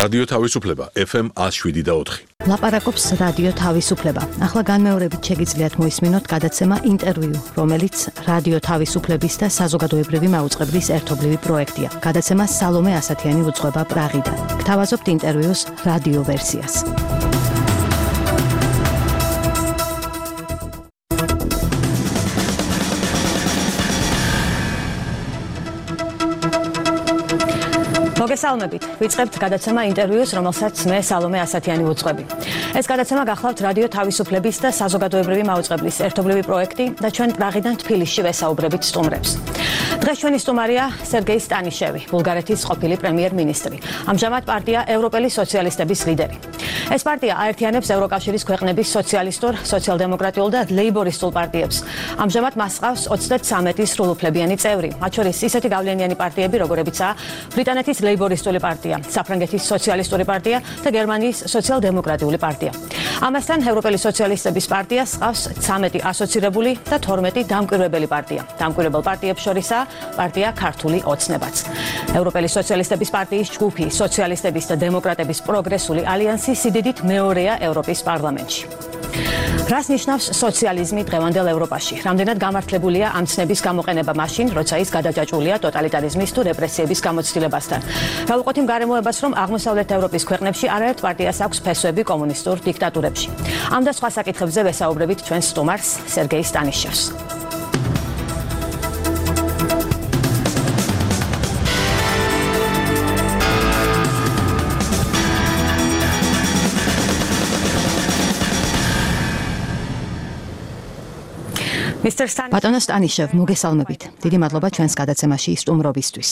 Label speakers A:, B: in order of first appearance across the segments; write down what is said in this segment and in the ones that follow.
A: რადიო თავისუფლება FM 107.4.
B: ლაპარაკობს რადიო თავისუფლება. ახლა განმეორებით შეგიძლიათ მოისმინოთ გადაცემა ინტერვიუ, რომელიც რადიო თავისუფლების და საზოგადოებრივი მაუწყებლის ერთობლივი პროექტია. გადაცემა სალომე ასათიანი უძღვება პრაღიდან. გთავაზობთ ინტერვიუს რადიო ვერსიას. მოგესალმებით. ვიწყებთ გადაცემა ინტერვიუს, რომელსაც მე სალომე ასათიანი ვუძღვები. ეს გადაცემა გახლავთ რადიო თავისუფლების და საზოგადოებრივი მაუწყებლის ერთობლივი პროექტი და ჩვენ პრაღიდან თბილისში ვესაუბრებით სტუმრებს. დღეს ჩვენი სტუმარია სერგეი სტანიშევი, ბულგარეთის ყოფილი პრემიერ-მინისტრი. ამჟამად პარტია ევროპელი სოციალისტების ლიდერი. ეს პარტია აერთიანებს ევროკავშირის ქვეყნების სოციალისტურ, სოციალ-დემოკრატიულ და ლეიბორისტულ პარტიებს. ამჟამად მას ჰყავს 33 სრულუფლებიანი წევრი, მათ შორის ისეთი გავლენიანი პარტიები, როგორებიცაა ბრიტანეთის ლეიბორისტული პარტია, საფრანგეთის სოციალისტური პარტია და გერმანიის სოციალ-დემოკრატიული პარტია. ამასთან ევროპელი სოციალისტების პარტიას ჰყავს 13 ასოცირებული და 12 დამკვირვებელი პარტია. დამკვირვებელ პარტიებს შორისაა პარტია ქართული ოცნებაც. ევროპელი სოციალისტების პარტიის ჯგუფი სოციალისტების და დემოკრატების პროგრესული ალიანსი სიდიდით მეორეა ევროპის პარლამენტში. რას ნიშნავს სოციალიზმი დღევანდელ ევროპაში? რამდენად გამართლებულია ამ ცნების გამოყენება მაშინ, როცა ის გადაჯაჭვულია ტოტალიტარიზმის თუ რეპრესიების გამოცდილებასთან? რა ვუყოთ იმ გარემოებას, რომ აღმოსავლეთ ევროპის ქვეყნებში არაერთ პარტიას აქვს ფესვები კომუნისტურ დიქტატურებში? ამ და სხვა საკითხებზე ვესაუბრებით ჩვენს სტუმარს სერგეი სტანიშევს. ბატონო სტანიშევ, მოგესალმებით. დიდი მადლობა ჩვენს გადაცემაში სტუმრობისთვის.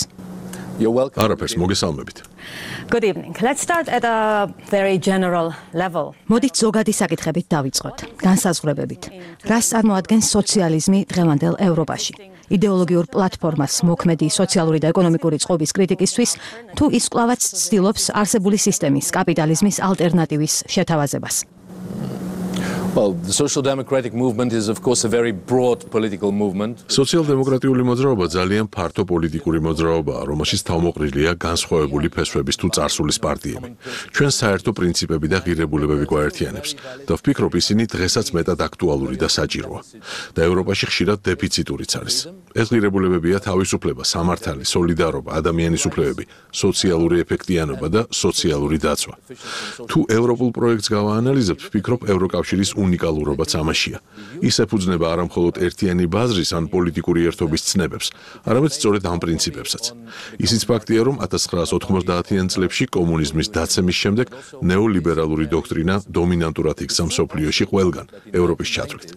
A: არაფერს, მოგესალმებით.
B: Good evening. Let's start at a very general level. მოდით ზოგადი საკითხებით დავიწყოთ. განსაზღვრებებით. რას წარმოადგენს სოციალიზმი დღევანდელ ევროპაში? იდეოლოგიურ პლატფორმას მოქმედი სოციალური და ეკონომიკური წყობის კრიტიკისთვის თუ ის კვლავაც ცდილობს არსებული სისტემის, კაპიტალიზმის ალტერნატივის შეთავაზებას?
C: Well, the social democratic movement is of course a very broad political movement.
A: სოციალ-დემოკრატიული მოძრაობა ძალიან ფართო პოლიტიკური მოძრაობაა, რომელშიც თავმოყრილია განსხვავებული ფესვების თუ წარსულის პარტიები. ჩვენ საერთო პრინციპები და ღირებულებები გვაერთიანებს და ვფიქრობ, ისინი დღესაც მეტად აქტუალური და საჭიროა. და ევროპაში ხშირად დეფიციტურიც არის. ეს ღირებულებებია თავისუფლება, სამართალი, სოლიდარობა, ადამიანის უფლებები, სოციალური ეფექტიანობა და სოციალური დაცვა. თუ ევროპულ პროექტს გავაანალიზებთ, ვფიქრობ, ევროკავშირის უნიკალურობაც ამაშია. ის ეფუძნება არა მხოლოდ ერთიანი ბაზრის ან პოლიტიკური ერთობის ცნებებს, არამედ სწორედ ამ პრინციპებსაც. ისიც ფაქტია, რომ 1990-იან წლებში კომუნიზმის დაცემის შემდეგ ნეოლიბერალური დოქტრინა დომინანტურად იქცა მსოფლიოში ყველგან, ევროპის ჩათვლით.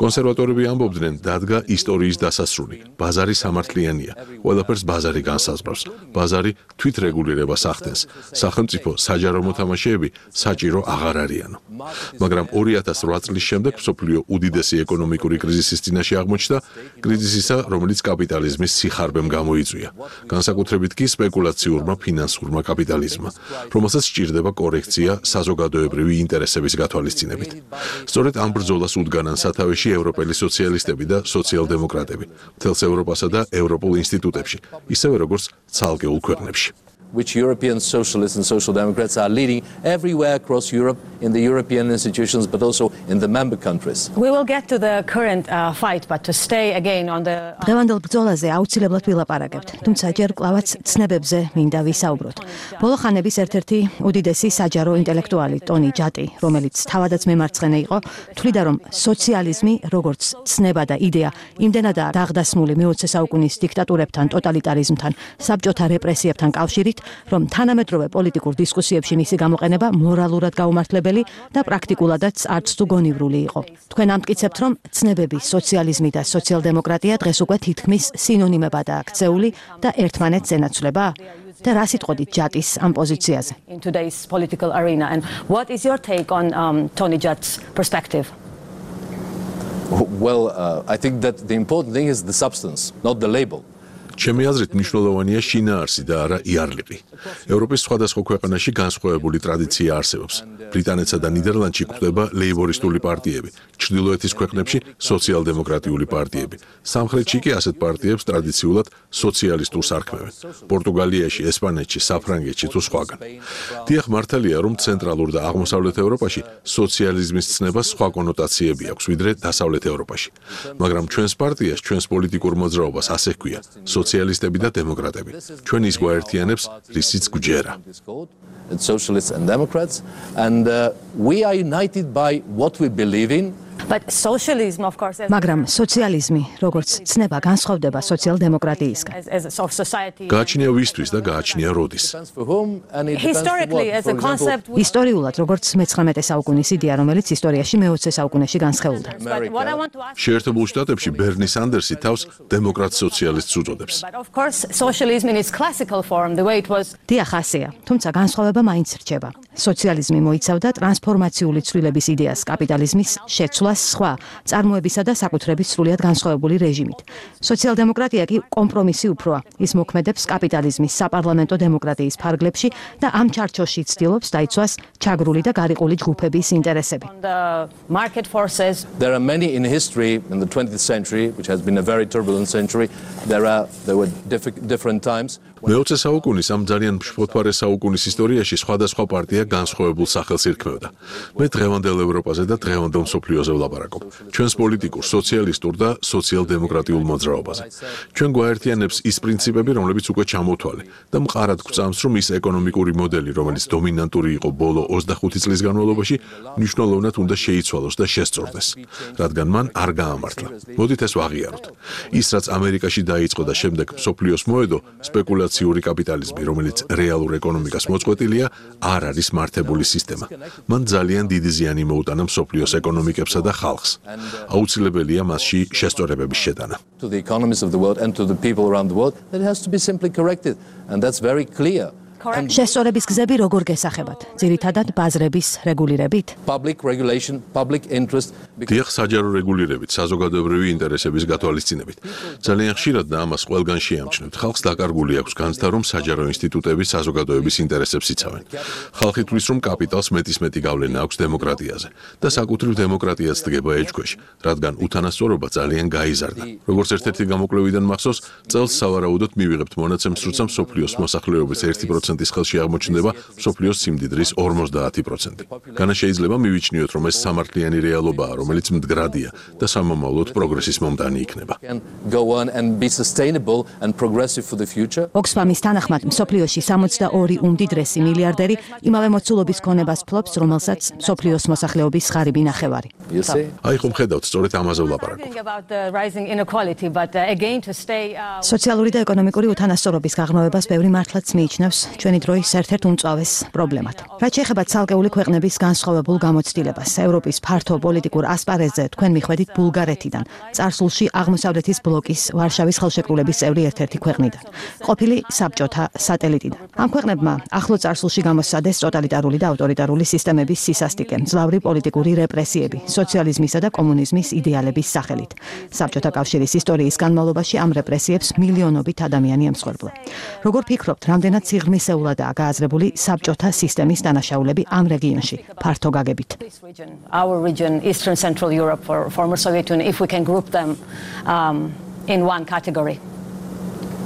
A: კონსერვატორები ამბობდნენ, დადგა ისტორიის დასასრული, ბაზარი სამართლიანია, ყველაფერს ბაზარი განსაზღვრავს, ბაზარი თვითრეგულირებას ახდენს, სახელმწიფო საჯარო მოთამაშეები საჭირო აღარ არიანო. მაგრამ 2008 წლის შემდეგ მსოფლიო უდიდესი ეკონომიკური კრიზისის წინაშე აღმოჩნდა, კრიზისისა, რომელიც კაპიტალიზმის სიხარბემ გამოიწვია, განსაკუთრებით კი სპეკულაციურმა ფინანსურმა კაპიტალიზმმა, რომელსაც სჭირდება კორექცია საზოგადოებრივი ინტერესების გათვალისწინებით. სწორედ ამ ბრძოლას უდგანან სათავეში ევროპელი სოციალისტები და სოციალ-დემოკრატები, მთელს ევროპასა და ევროპულ ინსტიტუტებში, ისევე როგორც ცალკეულ ქვეყნებში.
C: Which European socialists and social democrats are leading everywhere across Europe in the European institutions, but also in the member countries.
B: We will get to the current fight, but to stay again on the დღევანდელ ბრძოლაზე აუცილებლად ვილაპარაკებთ, თუმცა ჯერ კვლავაც ცნებებზე მინდა ვისაუბროთ. ბოლო ხანების ერთ-ერთი უდიდესი საჯარო ინტელექტუალი ტონი ჯატი, რომელიც თავადაც მემარცხენე იყო, თვლიდა, რომ სოციალიზმი, როგორც ცნება და იდეა, იმდენადაა დაღდასმული მე-20 საუკუნის დიქტატურებთან, ტოტალიტარიზმთან, საბჭოთა რეპრესიებთან კავშირით, რომ თანამედროვე პოლიტიკურ დისკუსიებში მისი გამოყენება მორალურად გაუმართლებელი და პრაქტიკულადაც არც თუ გონივრული იყო. თქვენ ამტკიცებთ, რომ ცნებები, სოციალიზმი და სოციალ-დემოკრატია დღეს უკვე თითქმის სინონიმებადაა ქცეული და ერთმანეთს ენაცვლება? და რა სიტყოდით ჯატის ამ პოზიციაზე? In today's political arena, and what is your take on Tony Jat's perspective?
C: Well, I think that the important thing is the substance, not the label.
A: ჩემი აზრით მნიშვნელოვანია შინაარსი და არა იარლიყი. ევროპის სხვადასხვა ქვეყანაში განსხვავებული ტრადიცია არსებობს. ბრიტანეთსა და ნიდერლანდში გვხვდება ლეიბორისტული პარტიები, ჩრდილოეთის ქვეყნებში სოციალ-დემოკრატიული პარტიები. სამხრეთში კი ასეთ პარტიებს ტრადიციულად სოციალისტურს არქმევენ. პორტუგალიაში, ესპანეთში, საფრანგეთში თუ სხვაგან. დიახ, მართალია, რომ ცენტრალურ და აღმოსავლეთ ევროპაში სოციალიზმის ცნებას სხვა კონოტაციები აქვს, ვიდრე დასავლეთ ევროპაში. მაგრამ ჩვენს პარტიას, ჩვენს პოლიტიკურ მოძრაობას ასე ჰქვია: სოციალისტები და დემოკრატები. ჩვენ ის გვაერთიანებს, რისიც გვჯერა.
C: Socialists and Democrats, and we are united by what we believe in.
B: But socialism, of course,
D: მაგრამ სოციალიზმი, როგორც ცნება, განსხვავდება სოციალ-დემოკრატიისგან.
B: as a society.
A: გააჩნია ვისთვის და გააჩნია როდის.
C: For whom and it depends for
B: Historically,
C: what.
B: as
C: For
B: a
C: example,
B: concept,
D: ისტორიულად, როგორც მე-19 საუკუნის იდეა, რომელიც ისტორიაში მე-20 საუკუნეში განსხეულდა.
B: but what I want to ask,
A: შეერთებულ შტატებში ბერნი სანდერსი თავს დემოკრატ სოციალისტს უწოდებს.
B: but of course, socialism in its classical form, the way it was.
D: დიახ, ასეა, თუმცა განსხვავება მაინც რჩება. სოციალიზმი მოიცავდა ტრანსფორმაციული ცვლილების იდეას კაპიტალიზმის შეცვლას სხვა წარმოებისა და საკუთრების სრულიად განსხვავებული რეჟიმით. სოციალ-დემოკრატია კი კომპრომისი უფროა. ის მოქმედებს კაპიტალიზმის საპარლამენტო დემოკრატიის ფარგლებში და ამ ჩარჩოში ცდილობს დაიცვას ჩაგრული და გარიყული ჯგუფების ინტერესები.
B: The market forces.
C: there are many in history in the 20th century, which has been a very turbulent century. There were different times.
A: მე-20 საუკუნის ამ ძალიან მშფოთვარე საუკუნის ისტორიაში სხვადასხვა პარტია განსხვავებულ სახელს ირქმევდა. მე დღევანდელ ევროპაზე და დღევანდელ მსოფლიოზე ვლაპარაკობ. ჩვენს პოლიტიკურ, სოციალისტურ და სოციალ-დემოკრატიულ მოძრაობაზე. ჩვენ გვაერთიანებს ის პრინციპები, რომლებიც უკვე ჩამოთვალე და მყარად გვწამს, რომ ის ეკონომიკური მოდელი, რომელიც დომინანტური იყო ბოლო 25 წლის განმავლობაში, მნიშვნელოვნად უნდა შეიცვალოს და შესწორდეს, რადგან მან არ გაამართლა. მოდით ეს ვაღიაროთ. ის, რაც ამერიკაში დაიწყო და შემდეგ მსოფლიოს მოედო, სპეკულაციური კაპიტალიზმი, რომელიც რეალურ ეკონომიკას მოწყვეტილია, არ არის მართებული სისტემა. მან ძალიან დიდი ზიანი მოუტანა მსოფლიოს ეკონომიკებსა და ხალხს. აუცილებელია მასში შესწორებების შეტანა.
C: To the economies of the world and to the people around the world, that has to be simply corrected, and that's very clear.
D: შესწორების გზები როგორ გესახებათ? ძირითადად ბაზრების რეგულირებით?
C: Public regulation, public interest.
A: დიახ, საჯარო რეგულირებით, საზოგადოებრივი ინტერესების გათვალისწინებით. ძალიან ხშირად და ამას ყველგან შეამჩნევთ. ხალხს დაკარგული აქვს განცდა, რომ საჯარო ინსტიტუტები საზოგადოების ინტერესებს იცავენ. ხალხი თვლის, რომ კაპიტალს მეტისმეტი გავლენა აქვს დემოკრატიაზე და საკუთრივ დემოკრატიაც დგება ეჭქვეშ, რადგან უთანასწორობა ძალიან გაიზარდა. როგორც ერთ-ერთი გამოკვლევიდან მახსოვს, წელს სავარაუდოდ მივიღებთ მონაცემს, როცა მსოფლიოს მოსახლეობის 1% ის ხელში აღმოჩნდება მსოფლიოს სიმდიდრის 50%. განა შეიძლება მივიჩნიოთ, რომ ეს სამართლიანი რეალობაა, რომელიც მდგრადია და სამომავლოდ პროგრესის მომდანი იქნება.
C: Can go on and be sustainable and progressive for the future.
D: ოქსფამის თანახმად, მსოფლიოში 62 უმდიდრესი მილიარდერი იმავე მოცულობის ქონებას ფლობს, რომელსაც მსოფლიოს მოსახლეობის ღარიბი ნახევარი.
C: You see?
A: აი ხომ ხედავთ, სწორედ ამაზე ვლაპარაკობ.
B: Talking about the rising inequality, but again to stay.
D: სოციალური და ეკონომიკური უთანასწორობის გაღრმავებას ბევრი მართლაც მიიჩნევს ჩვენი დროის ერთ-ერთ უმწვავეს პრობლემად. რაც შეეხება ცალკეული ქვეყნების განსხვავებულ გამოცდილებას, ევროპის ფართო პოლიტიკურ ასპარეზზე თქვენ მიხვედით ბულგარეთიდან, წარსულში აღმოსავლეთის ბლოკის ვარშავის ხელშეკრულების წევრი ერთ-ერთი ქვეყნიდან, ყოფილი საბჭოთა სატელიტიდან. ამ ქვეყნებმა ახლო წარსულში გამოსცადეს ტოტალიტარული და ავტორიტარული სისტემების სისასტიკე, მძლავრი პოლიტიკური რეპრესიები, სოციალიზმისა და კომუნიზმის იდეალების სახელით. საბჭოთა კავშირის ისტორიის განმავლობაში ამ რეპრესიებს მილიონობით ადამიანი ემსხვერპლა. როგორ ფიქრობთ, რამდენად სიღრმისეულადაა გააზრებული საბჭოთა სისტემის დანაშაულები ამ რეგიონში, ფართო გაგებით?
B: This region, our region, Eastern Central Europe, or former Soviet Union, if we can group them in one category.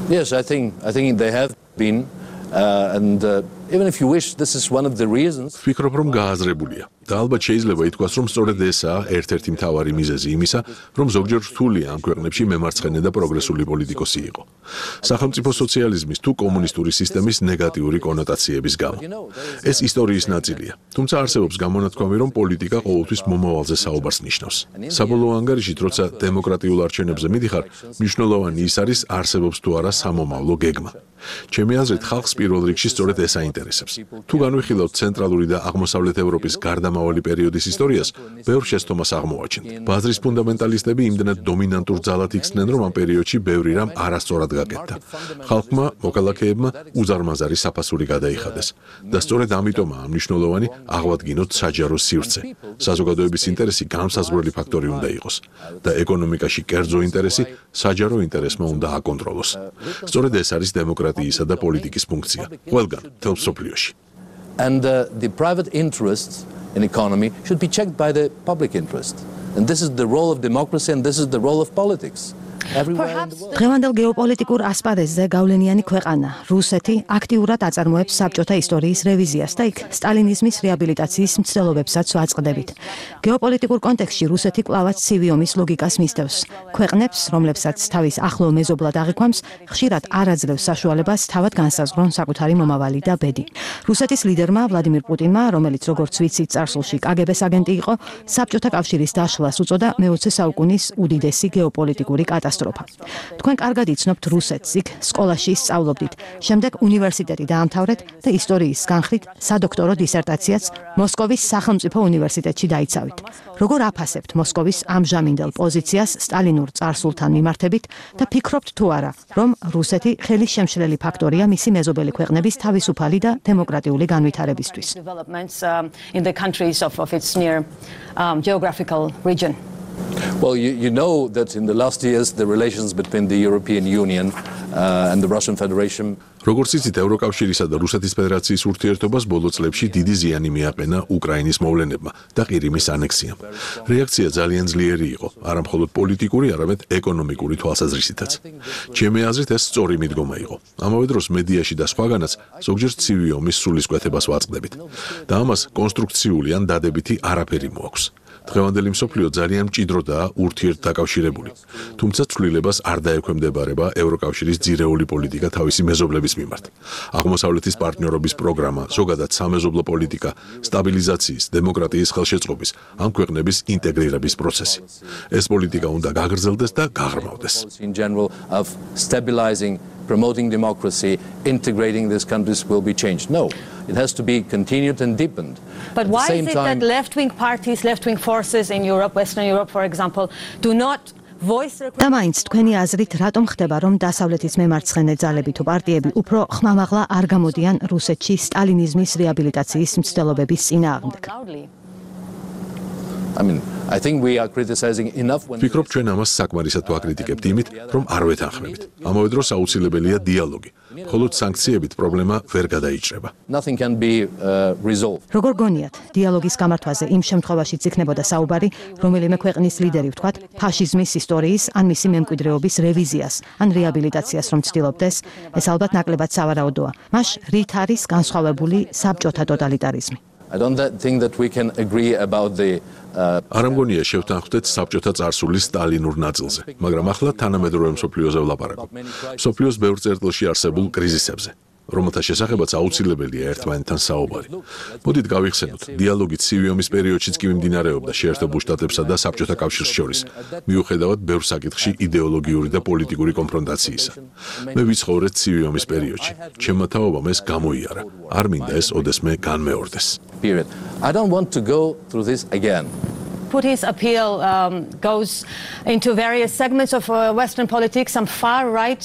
C: Yes, I think they have been, and even if you wish, this is one of the reasons.
A: ვფიქრობ, რომ გააზრებულია. და ალბათ შეიძლება ითქვას, რომ სწორედ ესაა ერთ-ერთი მთავარი მიზეზი იმისა, რომ ზოგჯერ რთულია ამ ქვეყნებში მემარცხენე და პროგრესული პოლიტიკოსი იყო. სახელმწიფო სოციალიზმის თუ კომუნისტური სისტემის ნეგატიური კონოტაციების გამო. ეს ისტორიის ნაწილია. თუმცა არსებობს გამონათქვამი, რომ პოლიტიკა ყოველთვის მომავალზე საუბარს ნიშნავს. საბოლოო ანგარიშით, როცა დემოკრატიულ არჩევნებზე მიდიხარ, მნიშვნელოვანი ის არის, არსებობს თუ არა სამომავლო გეგმა. ჩემი აზრით, ხალხს პირველ რიგში სწორედ ეს აინტერესებს. თუ განვიხილავთ ცენტრალური და აღმოსავლეთ ევროპის გარდა ამავალი პერიოდის ისტორიას ბევრ შესთომას აღმოაჩენთ. ბაზრის ფუნდამენტალისტები იმდენად დომინანტურ ძალად იქცნენ, რომ ამ პერიოდში ბევრი რამ არასწორად გაკეთდა. ხალხმა, მოქალაქეებმა უზარმაზარი საფასური გადაიხადეს და სწორედ ამიტომაა მნიშვნელოვანი აღვადგინოთ საჯარო სივრცე. საზოგადოების ინტერესი განსაზღვრელი ფაქტორი უნდა იყოს და ეკონომიკაში კერძო ინტერესი საჯარო ინტერესმა უნდა აკონტროლოს. სწორედ ეს არის დემოკრატიისა და პოლიტიკის ფუნქცია. ყველგან, მთელ მსოფლიოში.
C: And the private interests in economy should be checked by the public interest. And this is the role of democracy and this is the role of politics.
D: დღევანდელ გეოპოლიტიკურ ასპარეზზე გავლენიანი ქვეყანა რუსეთი აქტიურად აწარმოებს საბჭოთა ისტორიის რევიზიას და იქ სტალინიზმის რეაბილიტაციის მცდელობებსაც ვაწყდებით. გეოპოლიტიკურ კონტექსტში რუსეთი კვლავაც ცივი ომის ლოგიკას მისდევს. ქვეყნებს, რომლებსაც თავის ახლო მეზობლად აღიქვამს, ხშირად არ აძლევს საშუალებას თავად განსაზღვრონ საკუთარი მომავალი და ბედი. რუსეთის ლიდერმა ვლადიმირ პუტინმა, რომელიც როგორც ვიცით წარსულში კგბ-ს აგენტი იყო, საბჭოთა კავშირის დაშლას უწოდა მე-20 საუკუნის უდიდესი გეოპოლიტიკური კატასტროფა. თქვენ კარგად იცნობთ რუსეთს, იქ სკოლაში სწავლობდით, შემდეგ უნივერსიტეტი დაამთავრეთ და ისტორიის განხრით სადოქტორო დისერტაციაც მოსკოვის სახელმწიფო უნივერსიტეტში დაიცავით. როგორ აფასებთ მოსკოვის ამჟამინდელ პოზიციას სტალინურ წარსულთან მიმართებით და ფიქრობთ თუ არა, რომ რუსეთი ხელის შემშლელი ფაქტორია მისი მეზობელი ქვეყნების თავისუფალი და დემოკრატიული განვითარებისთვის?
C: Well, you know that in the last years the relations between the European Union and the Russian Federation
A: როგორც იცით, ევროკავშირისა და რუსეთის ფედერაციის ურთიერთობას ბოლო წლებში დიდი ზიანი მიაყენა უკრაინის მოვლენებმა და ყირიმის ანექსიამ. რეაქცია ძალიან ძლიერი იყო, არა მხოლოდ პოლიტიკური, არამედ ეკონომიკური თვალსაზრისითაც. ჩემი აზრით, ეს სწორი მიდგომა იყო. ამავე დროს მედიაში და სხვაგანაც ზოგჯერ ცივი ომის სულისკვეთებას ვაწყდებით და ამას კონსტრუქციული ან დადებითი არაფერი მოაქვს. დღევანდელი მსოფლიო ძალიან მჭიდროდაა ურთიერთდაკავშირებული, თუმცა ცვლილებას არ დაექვემდებარება ევროკავშირის ძირეული პოლიტიკა თავისი მეზობლების მიმართ. აღმოსავლეთის პარტნიორობის პროგრამა, ზოგადად სამეზობლო პოლიტიკა, სტაბილიზაციის, დემოკრატიის ხელშეწყობის, ამ ქვეყნების ინტეგრირების პროცესი. ეს პოლიტიკა უნდა გაგრძელდეს და გაღრმავდეს.
C: Promoting democracy, integrating these countries will be changed. No, it has to be continued and deepened.
B: But why is it that left-wing parties, left-wing forces in Europe, Western Europe, for example, do not voice their...
D: და მაინც თქვენი აზრით რატომ ხდება, რომ დასავლეთის მემარცხენე ძალები თუ პარტიები უფრო ხმამაღლა არ გამოდიან რუსეთში სტალინიზმის რეაბილიტაციის მცდელობების წინააღმდეგ?
C: I think we are criticizing enough when
A: ვფიქრობ, ჩვენ ამას საკმარისად ვაკრიტიკებთ იმით, რომ არ ვეთანხმებით. ამავე დროს აუცილებელია დიალოგი. მხოლოდ სანქციებით პრობლემა ვერ გადაიჭრება.
C: Nothing can be resolved.
D: როგორ გონიათ, დიალოგის გამართვაზე იმ შემთხვევაში იქნებოდა საუბარი, რომელიმე ქვეყნის ლიდერი ვთქვათ, ფაშიზმის ისტორიის ან მისი მემკვიდრეობის რევიზიას ან რეაბილიტაციას რომ ცდილობდეს, ეს ალბათ ნაკლებად სავარაუდოა. მას რით არის განსხვავებული საბჭოთა ტოტალიტარიზმი?
C: I don't think that we can agree about the
A: არ ამგონია შევთანხმდეთ საბჭოთა წარსულის სტალინურ ნაწილზე, მაგრამ ახლა თანამედროვე მსოფლიოზე ვლაპარაკობ. მსოფლიოს ბევრ წერტილში არსებულ კრიზისებზე, რომელთა შესახებაც აუცილებელია ერთმანეთთან საუბარი. მოდით გავიხსენოთ, დიალოგი ცივი ომის პერიოდშიც კი მიმდინარეობდა შეერთებულ შტატებსა და საბჭოთა კავშირს შორის, მიუხედავად ბევრ საკითხში იდეოლოგიური და პოლიტიკური კონფრონტაციისა. მე ვიცხოვრე ცივი ომის პერიოდში. ჩემმა თაობამ ეს გამოიარა. არ მინდა ეს ოდესმე განმეორდეს.
C: I don't want to go through this again.
B: Putin's appeal goes into various segments of Western politics. Some far-right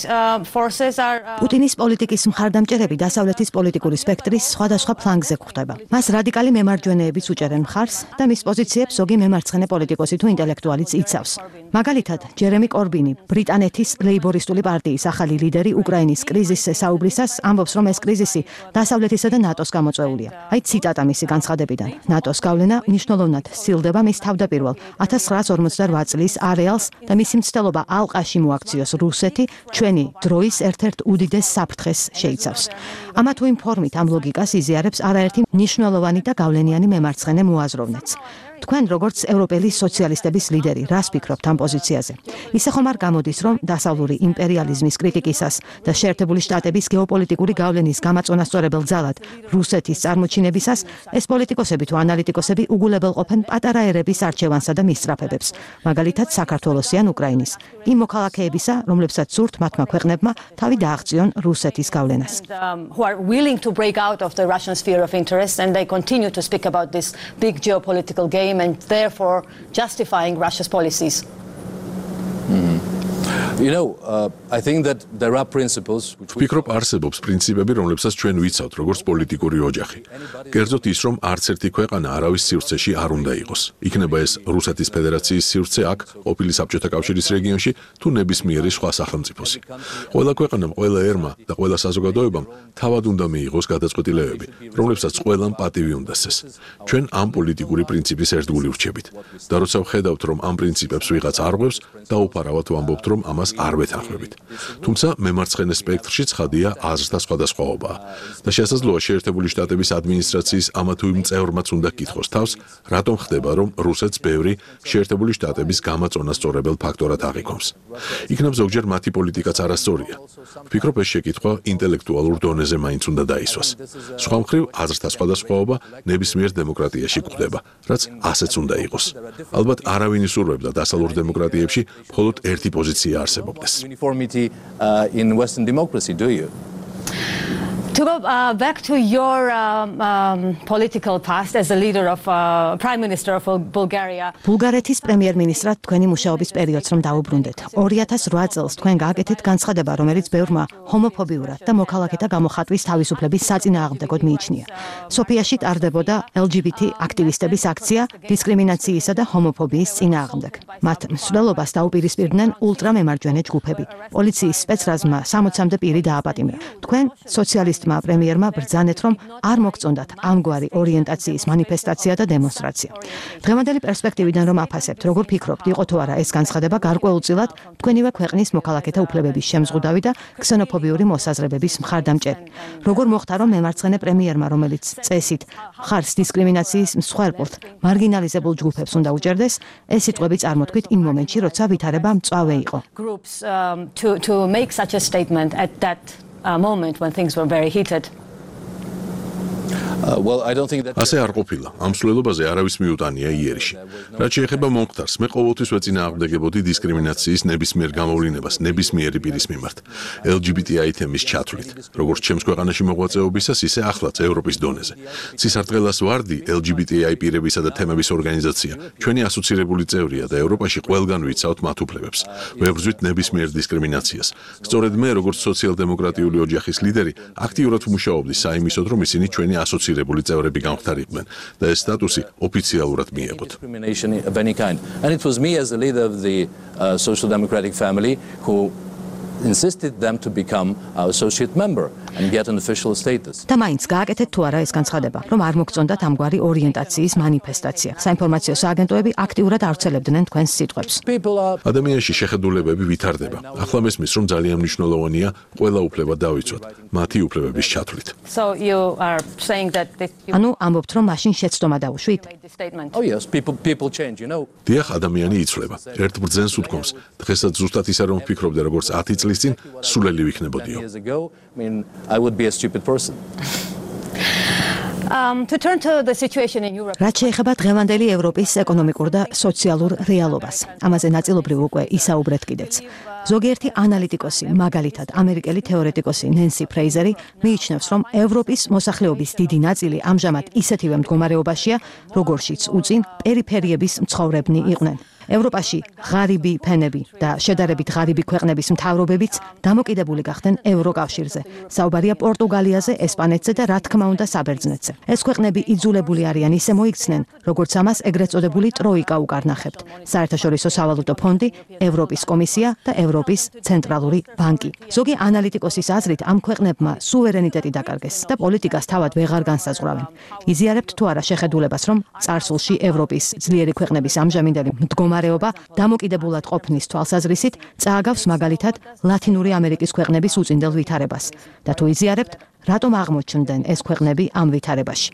B: forces are.
D: პუტინის პოლიტიკის მხარდამჭერები დასავლეთის პოლიტიკური სპექტრის სხვადასხვა ფლანგზე გვხვდება. მას რადიკალი მემარჯვენეებიც უჭერენ მხარს და მის პოზიციებს ზოგი მემარცხენე პოლიტიკოსი თუ ინტელექტუალიც იცავს. მაგალითად, ჯერემი კორბინი, ბრიტანეთის ლეიბორისტული პარტიის ახალი ლიდერი უკრაინის კრიზისზე საუბრისას ამბობს, რომ ეს კრიზისი დასავლეთისა და ნატოს გამოწვეულია. აი ციტატა მისი განცხადებიდან. ნატოს გავლენა მნიშვნელოვნად სცილდება მის თავდაპირველ 1948 წლის არეალს და მისი მცდელობა ალყაში მოაქციოს რუსეთი ჩვენი დროის ერთ-ერთ უდიდეს საფრთხეს შეიცავს. ამა თუ იმ ფორმით ამ ლოგიკას იზიარებს არაერთი მნიშვნელოვანი და გავლენიანი მემარცხენე მოაზროვნეც. თქვენ როგორც ევროპელი სოციალისტების ლიდერი, რას ფიქრობთ ამ პოზიციაზე? ისე ხომ არ გამოდის, რომ დასავლური იმპერიალიზმის კრიტიკისას და შეერთებული შტატების გეოპოლიტიკური გავლენის გამაწონასწორებელ ძალად რუსეთის წარმოჩინებისას ეს პოლიტიკოსები თუ ანალიტიკოსები უგულებელ ყოფენ პატარა ერების არჩევანსა და მისწრაფებებს, მაგალითად საქართველოსი ან უკრაინის, იმ მოქალაქეებისა, რომლებსაც სურთ მათმა ქვეყნებმა თავი დააღწიონ რუსეთის გავლენას.
B: Who are willing to break out of the Russian sphere of interest and they continue to speak about this big geopolitical game and therefore justifying Russia's policies.
C: You know, I think that there are principles which
A: ვფიქრობ არსებობს პრინციპები, რომლებსაც ჩვენ ვიცავთ, როგორც პოლიტიკური ოჯახი. კერძოდ ის, რომ არც ერთი ქვეყანა არავის სივრცეში არ უნდა იყოს. იქნება ეს რუსეთის ფედერაციის სივრცე აქ, ყოფილი საბჭოთა კავშირის რეგიონში, თუ ნებისმიერი სხვა სახელმწიფოსი. ყველა ქვეყანამ, ყველა ერმა და ყველა საზოგადოებამ თავად უნდა მიიღოს გადაწყვეტილებები, რომლებსაც ყველამ პატივი უნდა სცეს. ჩვენ ამ პოლიტიკური პრინციპის ერთგული ვრჩებით. და როცა ვხედავთ, რომ ამ პრინციპებს ვიღაც არღვევს, დაუფარავად ვამბობთ, რომ ამას არ ვეთანხმებით. თუმცა მემარცხენე სპექტრში ცხადია აზრთა სხვადასხვაობაა. და შესაძლოა შეერთებული შტატების ადმინისტრაციის ამა თუ იმ წევრმაც უნდა კითხოს თავს, რატომ ხდება, რომ რუსეთს ბევრი შეერთებული შტატების გამაწონასწორებელ ფაქტორად აღიქვამს. იქნებ ზოგჯერ მათი პოლიტიკაც არასწორია. ვფიქრობ, ეს შეკითხვა ინტელექტუალურ დონეზე მაინც უნდა დაისვას. სხვა მხრივ, აზრთა სხვადასხვაობა ნებისმიერ დემოკრატიაში გვხვდება, რაც ასეც უნდა იყოს. ალბათ არავინ ისურვებდა დასავლურ დემოკრატიებში მხოლოდ ერთი პოზიცია არსებობდეს.
C: uniformity in Western democracy, do you?
B: To go back to your political past as a leader of Prime Minister of Bulgaria.
D: ბულგარეთის პრემიერ-მინისტრად თქვენი მუშაობის პერიოდს რომ დაუბრუნდეთ. 2008 წელს თქვენ გააკეთეთ განცხადება, რომელიც ბევრმა ჰომოფობიურად და მოქალაქეთა გამოხატვის თავისუფლების საწინააღმდეგოდ მიიჩნია. სოფიაში ტარდებოდა LGBT აქტივისტების აქცია დისკრიმინაციისა და ჰომოფობიის წინააღმდეგ. მათ მსვლელობას დაუპირისპირდნენ ულტრამემარჯვენე ჯგუფები. პოლიციის სპეცრაზმა 60-მდე პირი დააპატიმრა. თქვენ სოციალისტ პრემიერმა ბრძანეთ, რომ არ მოგწონდათ ამგვარი ორიენტაციის მანიფესტაცია და დემონსტრაცია. დღევანდელი პერსპექტივიდან რომ აფასებთ, როგორ ფიქრობთ, იყო თუ არა ეს განცხადება გარკვეულწილად თქვენივე ქვეყნის მოქალაქეთა უფლებების შემზღუდავი და ქსენოფობიური მოსაზრებების მხარდამჭერი. როგორ მოხდა, რომ მემარცხენე პრემიერმა, რომელიც წესით მხარს დისკრიმინაციის მსხვერპლთ მარგინალიზებულ ჯგუფებს უნდა უჭერდეს, ეს სიტყვები წარმოთქვით იმ მომენტში, როცა ვითარება მწვავე იყო.
B: Groups to make such a statement at that moment when things were very heated.
C: Well, I don't think that
A: ასე არ ყოფილა. ამ მსვლელობაზე არავის მიუტანია იერიში. რაც შეეხება მომხდარს, მე ყოველთვის ვეწინააღმდეგებოდი დისკრიმინაციის ნებისმიერ გამოვლინებას ნებისმიერი პირის მიმართ. LGBTI თემის ჩათვლით, როგორც ჩემს ქვეყანაში მოღვაწეობისას, ისე ახლაც ევროპის დონეზე. ცისარტყელას ვარდი LGBTI პირებისა და თემების ორგანიზაცია, ჩვენი ასოცირებული წევრია და ევროპაში ყველგან ვიცავთ მათ უფლებებს. ვებრძვით ნებისმიერ დისკრიმინაციას. სწორედ მე, როგორც სოციალ-დემოკრატიული ოჯახის ლიდერი, აქტიურად ვმუშაობდი საიმისოდ, რომ ისინი ჩვენი ასოცირებული წევრები გამხდარიყვნენ და ეს სტატუსი ოფიციალურად მიეღოთ.
C: discrimination of any kind. And it was me as the leader of the Social Democratic family who insisted them to become our associate member and get an official status.
D: და მაინც გააკეთეთ თუ არა ეს განცხადება, რომ არ მოგწონდათ ამგვარი ორიენტაციის მანიფესტაცია. საინფორმაციო სააგენტოები აქტიურად ავრცელებდნენ თქვენს სიტყვებს.
A: ადამიანში შეხედულებები ვითარდება. ახლა მესმის, რომ ძალიან მნიშვნელოვანია ყველა უფლება დავიცვათ, მათი უფლებების ჩათვლით.
B: So you are saying that this
D: ანუ ამბობთ, რომ მაშინ შეცდომა დაუშვით?
B: statement.
C: Oh yes, people change, you know.
A: დიახ, ადამიანი იცვლება. ერთ ბრძენს უთქვამს, დღესაც ზუსტად ისე რომ ვფიქრობდი, როგორც 10 წლის წინ, სულელი ვიქნებოდიო.
C: Years ago, I mean, I would be a stupid person.
B: To turn to the situation in Europe.
D: რაც შეეხება დღევანდელი ევროპის ეკონომიკურ და სოციალურ რეალობას. ამაზე ნაწილობრივ უკვე ისაუბრეთ კიდეც. ზოგიერთი ანალიტიკოსი, მაგალითად, ამერიკელი თეორეტიკოსი ნენსი ფრეიზერი მიიჩნევს, რომ ევროპის მოსახლეობის დიდი ნაწილი ამჟამად ისეთივე მდგომარეობაშია, როგორშიც უწინ პერიფერიების მცხოვრებნი იყვნენ. ევროპაში ღარიბი ფენები და შედარებით ღარიბი ქვეყნების მთავრობებიც დამოკიდებული გახდნენ ევროკავშირზე. საუბარია პორტუგალიაზე, ესპანეთზე და რა თქმა უნდა საბერძნეთზე. ეს ქვეყნები იძულებული არიან ისე მოიქცნენ, როგორც ამას ეგრეთ წოდებული ტროიკა უკარნახებთ. საერთაშორისო სავალუტო ფონდი, ევროპის კომისია და ევროპის ცენტრალური ბანკი. ზოგი ანალიტიკოსის აზრით, ამ ქვეყნებმა სუვერენიტეტი დაკარგეს და პოლიტიკას თავად ვეღარ განსაზღვრავენ. იზიარებთ თუ არა შეხედულებას, რომ წარსულში ევროპის ძლიერი ქვეყნების ამჟამინდელი მდგომარეობა დამოკიდებულად ყოფნის თვალსაზრისით წააგავს მაგალითად ლათინური ამერიკის ქვეყნების უწინდელ ვითარებას და თუ იზიარებთ, რატომ აღმოჩნდნენ ეს ქვეყნები ამ ვითარებაში.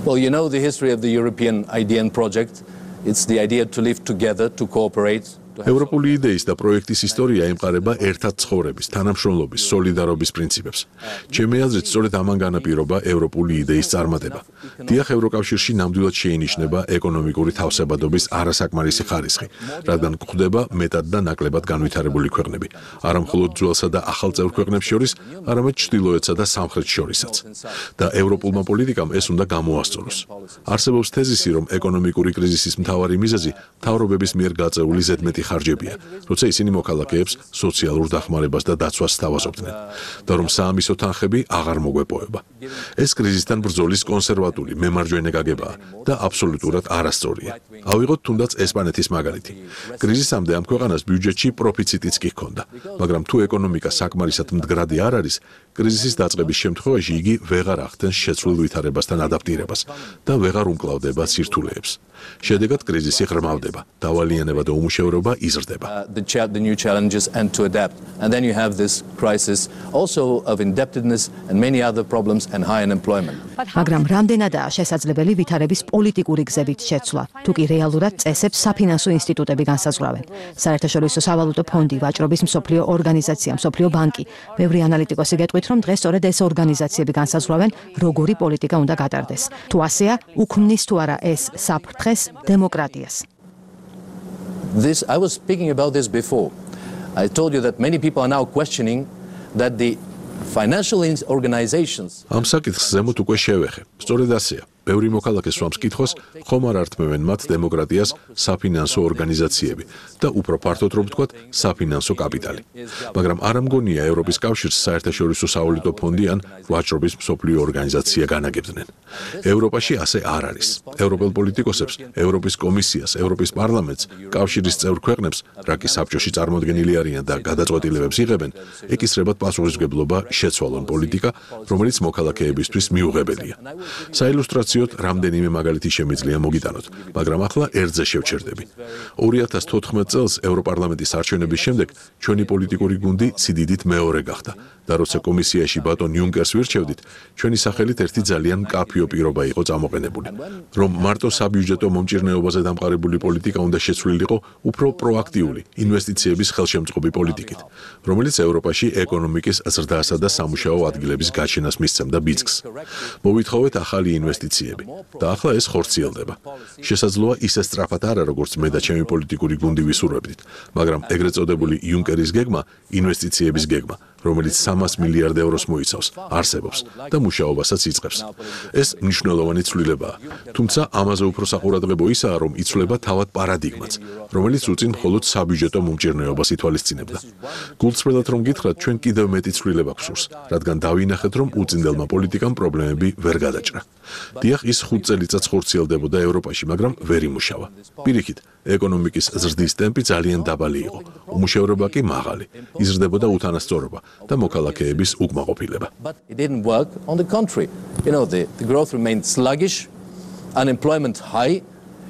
C: Well, you know the history of the European idea and project. It's the idea to live together, to cooperate
A: ევროპული იდეის და პროექტის ისტორია ემყარება ერთად ცხოვრების, თანამშრომლობის, სოლიდარობის პრინციპებს. ჩემი აზრით, სწორედ ამან განაპირობა ევროპული იდეის წარმატება. დიახ, ევროკავშირში ნამდვილად შეინიშნება ეკონომიკური თავსებადობის არასაკმარისი ხარისხი, რადგან გვხვდება მეტად და ნაკლებად განვითარებული ქვეყნები, არა მხოლოდ ძველსა და ახალ წევრ ქვეყნებს შორის, არამედ ჩრდილოეთსა და სამხრეთს შორისაც. და ევროპულმა პოლიტიკამ ეს უნდა გამოასწოროს. არსებობს თეზისი, რომ ეკონომიკური კრიზისის მთავარი მიზეზი მთავრობების მიერ გაწეული ზედმეტი ხარჯებია, როცა ისინი მოქალაქეებს სოციალურ დახმარებას და დაცვას სთავაზობდნენ და რომ საამისო თანხები აღარ მოგვეპოვება. ეს კრიზისთან ბრძოლის კონსერვატული, მემარჯვენე გაგებაა და აბსოლუტურად არასწორია. ავიღოთ თუნდაც ესპანეთის მაგალითი. კრიზისამდე ამ ქვეყანას ბიუჯეტში პროფიციტიც კი ჰქონდა, მაგრამ თუ ეკონომიკა საკმარისად მდგრადი არ არის, კრიზისის დაწყების შემთხვევაში იგი ვეღარ ახდენს შეცვლილ ვითარებასთან ადაპტირებას და ვეღარ უმკლავდება სირთულეებს. შედეგად კრიზისი ღრმავდება, დავალიანება და უმუშევრობა იზრდება.
C: The new challenges and to adapt. And then you have this crisis also of indebtedness and many other problems and high unemployment.
D: მაგრამ რამდენადაა შესაძლებელი ვითარების პოლიტიკური გზებით შეცვლა, თუ კი რეალურად წესებს საფინანსო ინსტიტუტები განსაზღვრავენ. საერთაშორისო სავალუტო ფონდი, ვაჭრობის მსოფლიო ორგანიზაცია, მსოფლიო ბანკი, ბევრი ანალიტიკოსი გეტყვით, რომ დღეს სწორედ ეს ორგანიზაციები განსაზღვრავენ, როგორი პოლიტიკა უნდა გატარდეს. თუ ასეა, უქმნის თუ არა ეს საფრთხეს დემოკრატიას.
C: I was speaking about this before. I told you that many people are now questioning that the financial organizations.
A: ამ საკითხს ზემოთ უკვე შევეხე. სწორედ ასეა. ბევრი მოქალაქე სვამს კითხვას, ხომ არ ართმევენ მათ დემოკრატიას საფინანსო ორგანიზაციები და უფრო ფართოდ რომ ვთქვათ, საფინანსო კაპიტალი. მაგრამ არ ამგონია ევროპის კავშირს საერთაშორისო სავალუტო ფონდი ან ვაჭრობის მსოფლიო ორგანიზაცია განაგებდნენ. ევროპაში ასე არ არის. ევროპელ პოლიტიკოსებს, ევროპის კომისიას, ევროპის პარლამენტს, კავშირის წევრ ქვეყნებს, რაკი საბჭოში წარმოდგენილი არიან და გადაწყვეტილებებს იღებენ, ეკისრებათ პასუხისმგებლობა შეცვალონ პოლიტიკა, რომელიც მოქალაქეებისთვის მიუღებელია. საილუსტრაციო რამდენიმე მაგალითი შემიძლია მოგიტანოთ, მაგრამ ახლა ერთზე შევჩერდები. 2014 წელს ევროპარლამენტის არჩევნების შემდეგ ჩვენი პოლიტიკური გუნდი სიდიდით მეორე გახდა და როცა კომისიაში ბატონ იუნკერს ვირჩევდით, ჩვენი სახელით ერთი ძალიან მკაფიო პირობა იყო წამოყენებული, რომ მარტო საბიუჯეტო მომჭირნეობაზე დამყარებული პოლიტიკა უნდა შეცვლილიყო უფრო პროაქტიული ინვესტიციების ხელშემწყობი პოლიტიკით, რომელიც ევროპაში ეკონომიკის ზრდასა და სამუშაო ადგილების გაჩენას მისცემდა ბიძგს. მოვითხოვეთ ახალი ინვესტიციები და ახლა ეს ხორციელდება. შესაძლოა ისე სწრაფად არა, როგორც მე და ჩემი პოლიტიკური გუნდი ვისურვებდით, მაგრამ ეგრეთ წოდებული იუნკერის გეგმა, ინვესტიციების გეგმა, რომელიც 300 მილიარდ ევროს მოიცავს, არსებობს და მუშაობასაც იწყებს. ეს მნიშვნელოვანი ცვლილებაა, თუმცა ამაზე უფრო საყურადღებო ისაა, რომ იცვლება თავად პარადიგმაც, რომელიც უწინ მხოლოდ საბიუჯეტო მომჭირნეობას ითვალისწინებდა. გულწრფელად რომ გითხრათ, ჩვენ კიდევ მეტი ცვლილება გვსურს, რადგან დავინახეთ, რომ უწინდელმა პოლიტიკამ პრობლემები ვერ გადაჭრა. დიახ, ის 5 წელიწადს ხორციელდებოდა ევროპაში, მაგრამ ვერ იმუშავა. პირიქით, ეკონომიკის ზრდის ტემპი ძალიან დაბალი იყო, უმუშევრობა კი მაღალი, იზრდებოდა უთანასწორობა და მოქალაქეების უკმაყოფილება.
C: But it didn't work. On the contrary, the growth remained sluggish, unemployment high,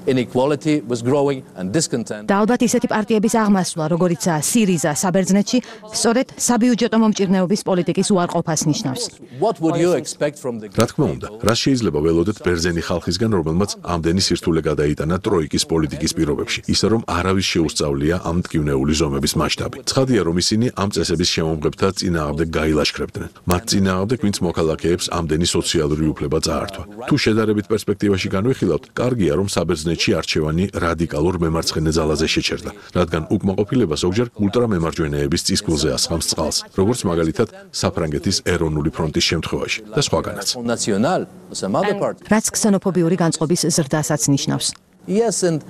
C: inequality was growing and discontent.
D: და ალბათ ისეთი პარტიების აღმასვლა, როგორიცაა სირიზა საბერძნეთში, სწორედ საბიუჯეტო მომჭირნეობის პოლიტიკის უარყოფას ნიშნავს.
C: What would you expect from the
A: რა თქმა უნდა, რას შეიძლება ველოდეთ ბერძენი ხალხისგან, რომელმაც ამდენი სირთულე გადაიტანა ტროიკის პოლიტიკის პირობებში, ისე რომ არავის შეუსწავლია ამ მტკივნეული ზომების მასშტაბი. ცხადია, რომ ისინი ამ წესების შემომღებთა წინააღმდეგ გაილაშქრებდნენ. მათ წინააღმდეგ, ვინც მოქალაქეებს ამდენი სოციალური უფლება წაართვა. თუ შედარებით პერსპექტივაში განვიხილავთ, კარგია, რომ საბერძნეთში არჩევანი რადიკალურ მემარცხენე ძალაზე შეჩერდა, რადგან უკმაყოფილება ზოგჯერ ულტრამემარჯვენეების წისქვილზე ასხამს წყალს, როგორც მაგალითად საფრანგეთის ეროვნული ფრონტის შემთხვევაში და სხვაგანაც. რაც ქსენოფობიური განწყობის ზრდასაც ნიშნავს.
C: Yes, and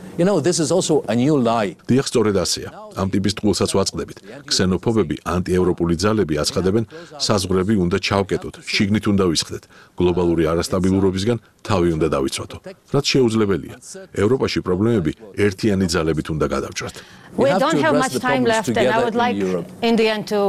C: this is also a new lie.
A: დიახ, სწორედ ასეა. ამ ტიპის ტყუილსაც ვაწყდებით. ქსენოფობები, ანტიევროპული ძალები აცხადებენ, საზღვრები უნდა ჩავკეტოთ, შიგნით უნდა ვისხდეთ, გლობალური არასტაბილურობისგან თავი უნდა დავიცვათო. რაც შეუძლებელია. ევროპაში პრობლემები ერთიანი ძალებით უნდა გადავჭრათ.
B: We don't have much time left, and I would like in the end to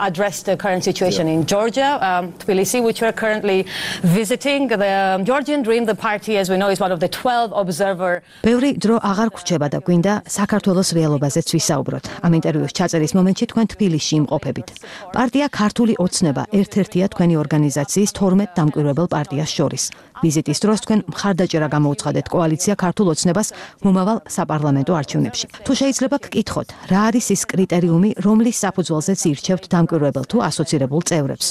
B: address the current situation in Georgia, Tbilisi, which we're currently visiting. The Georgian Dream, the party, as we know, is one of the 12 observer.
D: ბევრი დრო აღარ გვრჩება და გვინდა საქართველოს რეალობაზეც ვისაუბროთ. გავაგრძელოთ. Ამ ინტერვიუს ჩაწერის მომენტში თქვენ თბილისში იმყოფებით. პარტია ქართული ოცნება ერთ-ერთია თქვენი ორგანიზაციის 12 დამკვირვებელ პარტიას შორის. ვიზიტის დროს თქვენ მხარდაჭერა გამოუცხადეთ კოალიცია ქართულ ოცნებას მომავალ საპარლამენტო არჩევნებში. თუ შეიძლება გკითხოთ, რა არის ის კრიტერიუმი, რომლის საფუძველზეც ირჩევთ დამკვირვებელ თუ ასოცირებულ წევრებს?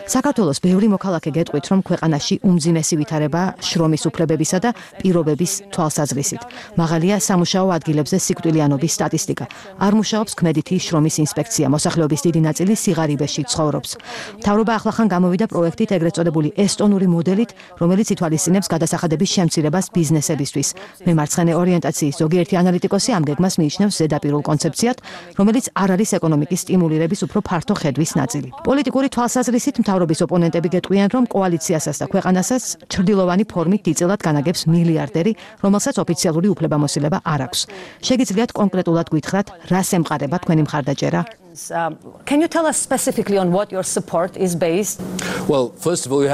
D: საქართველოს ბევრი მოქალაქე გეტყვით, რომ ქვეყანაში უმძიმესი ვითარება შრომის უფლებებისა და პირობების თვალსაზრისით. მაღალია სამუშაო ადგილებზე სიკვდილიანობის სტატისტიკა. არ მუშაობს ქმედითი შრომის ინსპექცია, მოსახლეობის დიდი ნაწილი სიღარიბეში ცხოვრობს. მთავრობა ახლახან გამოვიდა პროექტით ეგრეთ წოდებული ესტონური მოდელით, რომელიც ითვალისწინებს გადასახადების შემცირებას ბიზნესებისთვის. მემარცხენე ორიენტაციის ზოგიერთი ანალიტიკოსი ამ გეგმას მიიჩნევს ზედაპირულ კონცეფციად, რომელიც არ არის ეკონომიკის სტიმულირების უფრო ფართო ხედვის ნაწილი. პოლიტიკური თვალსაზრისით მთავრობის ოპონენტები გეტყვიან, რომ კოალიციასაც და ქვეყანასაც ჩრდილოვანი ფორმით დიდწილად განაგებს მილიარდერი, რომელსაც ოფიციალური უფლებამოსილება არ აქვს. შეგიძლიათ კონკრეტულად გითხრათ, რას ემყარება თქვენი მხარდაჭერა?
B: Can you tell us specifically on what your support is based?
C: Well, first of all, you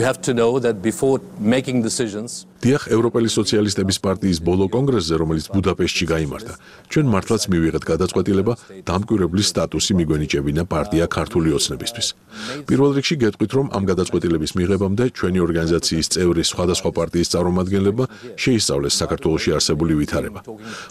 C: have to know that before making decisions.
A: დიახ, ევროპელი სოციალისტების პარტიის ბოლო კონგრესზე, რომელიც ბუდაპეშტში გაიმართა, ჩვენ მართლაც მივიღეთ გადაწყვეტილება დამკვირვებლის სტატუსი მიგვენიჭებინა პარტია ქართული ოცნებისთვის. პირველ რიგში გეტყვით, რომ ამ გადაწყვეტილების მიღებამდე ჩვენი ორგანიზაციის წევრი სხვადასხვა პარტიის წარმომადგენლებმა შეისწავლეს საქართველოში არსებული ვითარება.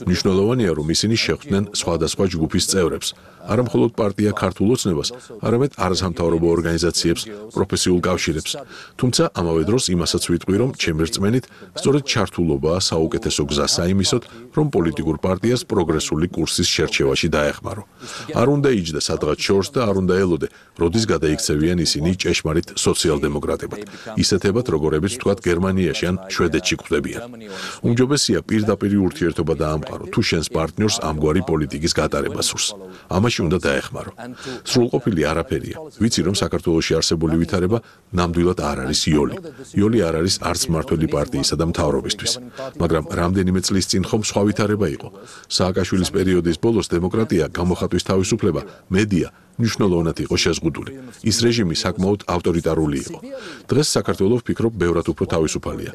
A: მნიშვნელოვანია, რომ ისინი შეხვდნენ სხვადასხვა ჯგუფის წევრებს, არა მხოლოდ პარტია ქართულ ოცნებას, არამედ არასამთავრობო ორგანიზაციებს, პროფესიულ კავშირებს. თუმცა ამავე დროს იმასაც ვიტყვი, რომ ჩემი რწმენით სწორედ ჩართულობაა საუკეთესო გზა საიმისოდ, რომ პოლიტიკურ პარტიას პროგრესული კურსის შერჩევაში დაეხმარო. არ უნდა იჯდა სადღაც შორს და არ უნდა ელოდე, როდის გადაიქცევიან ისინი ჭეშმარიტ სოციალ-დემოკრატებად, ისეთებად, როგორებიც ვთქვათ გერმანიაში ან შვედეთში გვხვდებიან. უმჯობესია პირდაპირი ურთიერთობა დაამყარო, თუ შენს პარტნიორს ამგვარი პოლიტიკის გატარება სურს. ამაში უნდა დაეხმარო. სრულყოფილი არაფერია. ვიცი, რომ საქართველოში არსებული ვითარება ნამდვილად არ არის იოლი. იოლი არ არის არც მმართველი პარტიისა და მთავრობისთვის. მაგრამ რამდენიმე წლის წინ ხომ სხვა ვითარება იყო. სააკაშვილის პერიოდის ბოლოს დემოკრატია, გამოხატვის თავისუფლება, მედია მნიშვნელოვნად იყო შეზღუდული. ის რეჟიმი საკმაოდ ავტორიტარული იყო. დღეს საქართველო ვფიქრობ ბევრად უფრო თავისუფალია.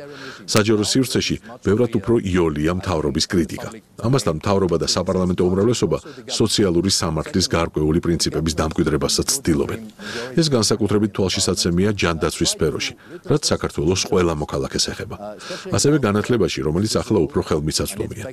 A: საჯარო სივრცეში ბევრად უფრო იოლია მთავრობის კრიტიკა. ამასთან მთავრობა და საპარლამენტო უმრავლესობა სოციალური სამართლის გარკვეული პრინციპების დამკვიდრებასაც ცდილობენ. ეს განსაკუთრებით თვალშისაცემია ჯანდაცვის სფეროში, რაც საქართველოს ყველა მოქალაქეს ეხება. ასევე განათლებაში, რომელიც ახლა უფრო ხელმისაწვდომია.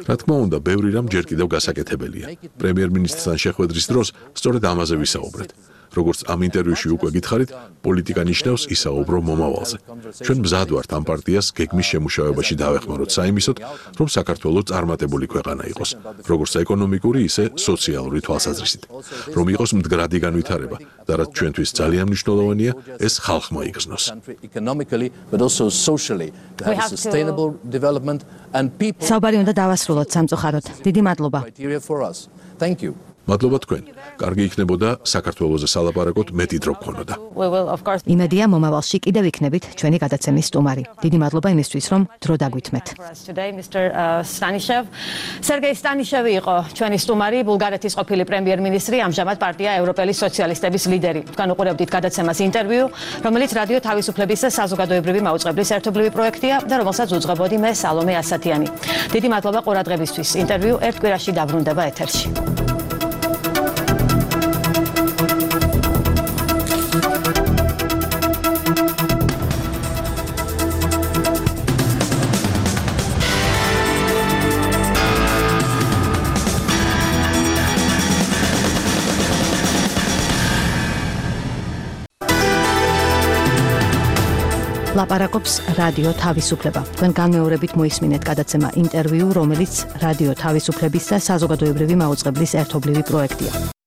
A: რა თქმა უნდა, ბევრი რამ ჯერ კიდევ გასაკეთებელია. პრემიერ-მინისტრთან შეხვედრის დროს სწორედ ამაზე ვისაუბრეთ. როგორც ამ ინტერვიუში უკვე გითხარით, პოლიტიკა ნიშნავს ისაუბრო მომავალზე. ჩვენ მზად ვართ ამ პარტიას გეგმის შემუშავებაში დავეხმაროთ საიმისოდ, რომ საქართველო წარმატებული ქვეყანა იყოს, როგორც ეკონომიკური, ისე სოციალური თვალსაზრისით. რომ იყოს მდგრადი განვითარება და რაც ჩვენთვის ძალიან მნიშვნელოვანია, ეს ხალხმა იგრძნოს.
D: საუბარი უნდა დავასრულოთ სამწუხაროდ. დიდი მადლობა.
C: Thank you.
A: მადლობა თქვენ. კარგი იქნებოდა საქართველოზე სალაპარაკოთ მეტი დრო გქონოდა.
D: იმედია მომავალში კიდევ იქნებით ჩვენი გადაცემის სტუმარი. დიდი მადლობა იმისთვის, რომ დრო დაგვითმეთ.
B: სერგეი სტანიშევი იყო ჩვენი სტუმარი, ბულგარეთის ყოფილი პრემიერ-მინისტრი, ამჟამად პარტია ევროპელი სოციალისტების ლიდერი. თქვენ უყურებდით გადაცემას ინტერვიუ, რომელიც რადიო თავისუფლების და საზოგადოებრივი მაუწყებლის ერთობლივი პროექტია და რომელსაც უძღვებოდი მე სალომე ასათიანი. დიდი მადლობა ყურადღებისთვის. ინტერვიუ ერთ კვირაში დაბრუნდება ეთერში.
D: ლაპარაკობს რადიო თავისუფლება. თქვენ განმეორებით მოისმინეთ გადაცემა ინტერვიუ, რომელიც რადიო თავისუფლების და საზოგადოებრივი მაუწყებლის ერთობლივი პროექტია.